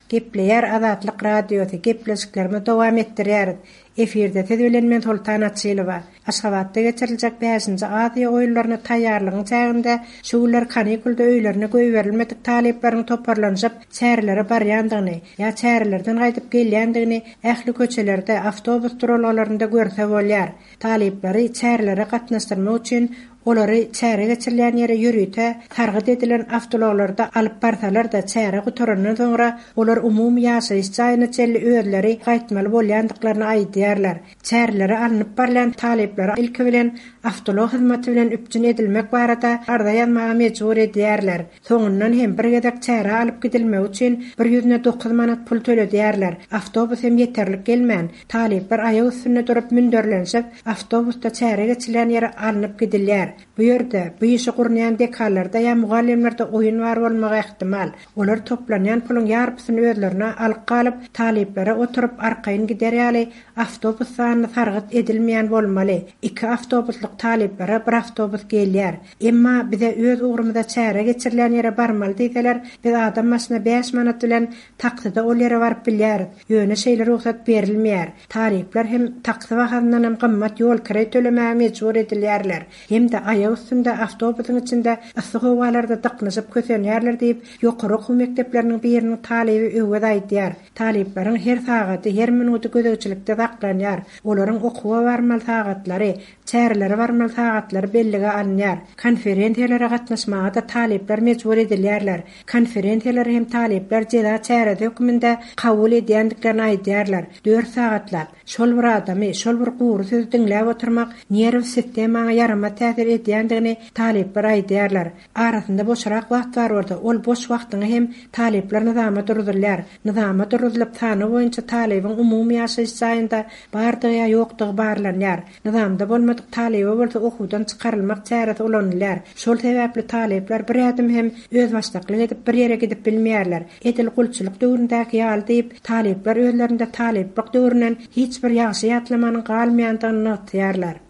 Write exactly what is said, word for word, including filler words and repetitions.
Gepleýär Azatlyk Radiosy, gepleşiklerimizi dowam etdirýäris. Efirde siz bilen men Soltan Açylowa. Aşgabatda geçiriljek bäşinji Aziýa oýunlaryna taýýarlygyň çäginde şu günler kanikulda öýlerine goýberilmedik talyplaryň toparlanyşyp çärelere barýandygyny ýa çärelerden gaýdyp gelýändigini ähli köçelerde, awtobus duralgalarynda görse bolýar. Talyplary çärelere gatnaşdyrmak üçin olary çäre geçirilýän ýere ýörite sargyt edilen awtoulaglarda alyp barsalar-da, çäre gutarandan soňra olar umumy ýaşaýyş jaýyna çenli özleri gaýtmaly bolýandyklaryny aýdýarlar. Çärelere alnyp barylýan talyplary ilki bilen awtoulag hyzmaty bilen üpjün edilmek barada arza ýazmaga mejbur edýärler. Soňundan hem bir gezek çärä alyp gidilmegi üçin bir ýüzüne dokuz manat pul töledýärler. Awtobus hem ýeterlik gelmän, talyplar aýak üstünde durup münderlenişip, awtobusda çäre geçirilýän ýere alnyp gidilýär. Bu ýerde bu işi gurnaýan dekanlarda ýa mugallymlarda oýun bar bolmagy ähtimal. Olar toplanýan puluň ýarpysyny özlerine alyp galyp, talyplara oturyp arkaýyn gider ýaly awtobus sanyny sargyt edilmeýän bolmaly. Iki awtobuslyk talyplara bir awtobus gelýär. Emma bize öz ugrumyza çäre geçirilýän ýere barmaly diýseler, biz adam başyna bäş manat bilen takside ol ýere baryp bilýäris. Ýöne şeýle rugsat berilmeýär. Talyplar hem taksi bahasyndan hem gymmat ýol kireý tölemäge mejbur edilýärler. Hem-de aýak üstünde awtobusyň içinde yssy howalarda dyknyşyp kösenýärler diýip, ýokary okuw mekdepleriniň biriniň talyby Öwez aýdýar. Talyplaryň her sagady, her minudy gözegçilikde saklanýar. Olaryň okuwa barmaly sagatlary, çärelere barmaly sagatlary bellige alynýar. Konferensiýalara gatnaşmaga-da talyplar mejbur edilýärler. Konferensiýalary hem talyplar jeza çäresi hökmünde kabul edýändiklerini aýdýarlar. Dört sagatlap şol bir adamy, şol bir gury sözi diňläp oturmak nerw sistemaňa ýaramaz täsir edýändigini talyplar aýdýarlar. Arasynda boşrak wagt bar bolsa, ol boş wagtyňy hem talyplar nyzama durdurylýar. Nyzama durdurylyp, sany boýunça talybyň umumy ýaşaýyş jaýynda bardygy ýa ýokdugy barlanýar. Nyzamda bolmadyk talyba bolsa okuwdan çykarylmak çäresi ulanylýar. Şol sebäpli talyplar bir ädim hem özbaşdaklyk edip bir ýere gidip bilmeýärler. Edil gulçulyk döwründäki ýaly diýip, talyplar özlerinde talyplyk döwründen hiç bir ýagşy ýatlamanyň galmaýandygyny nygtaýarlar.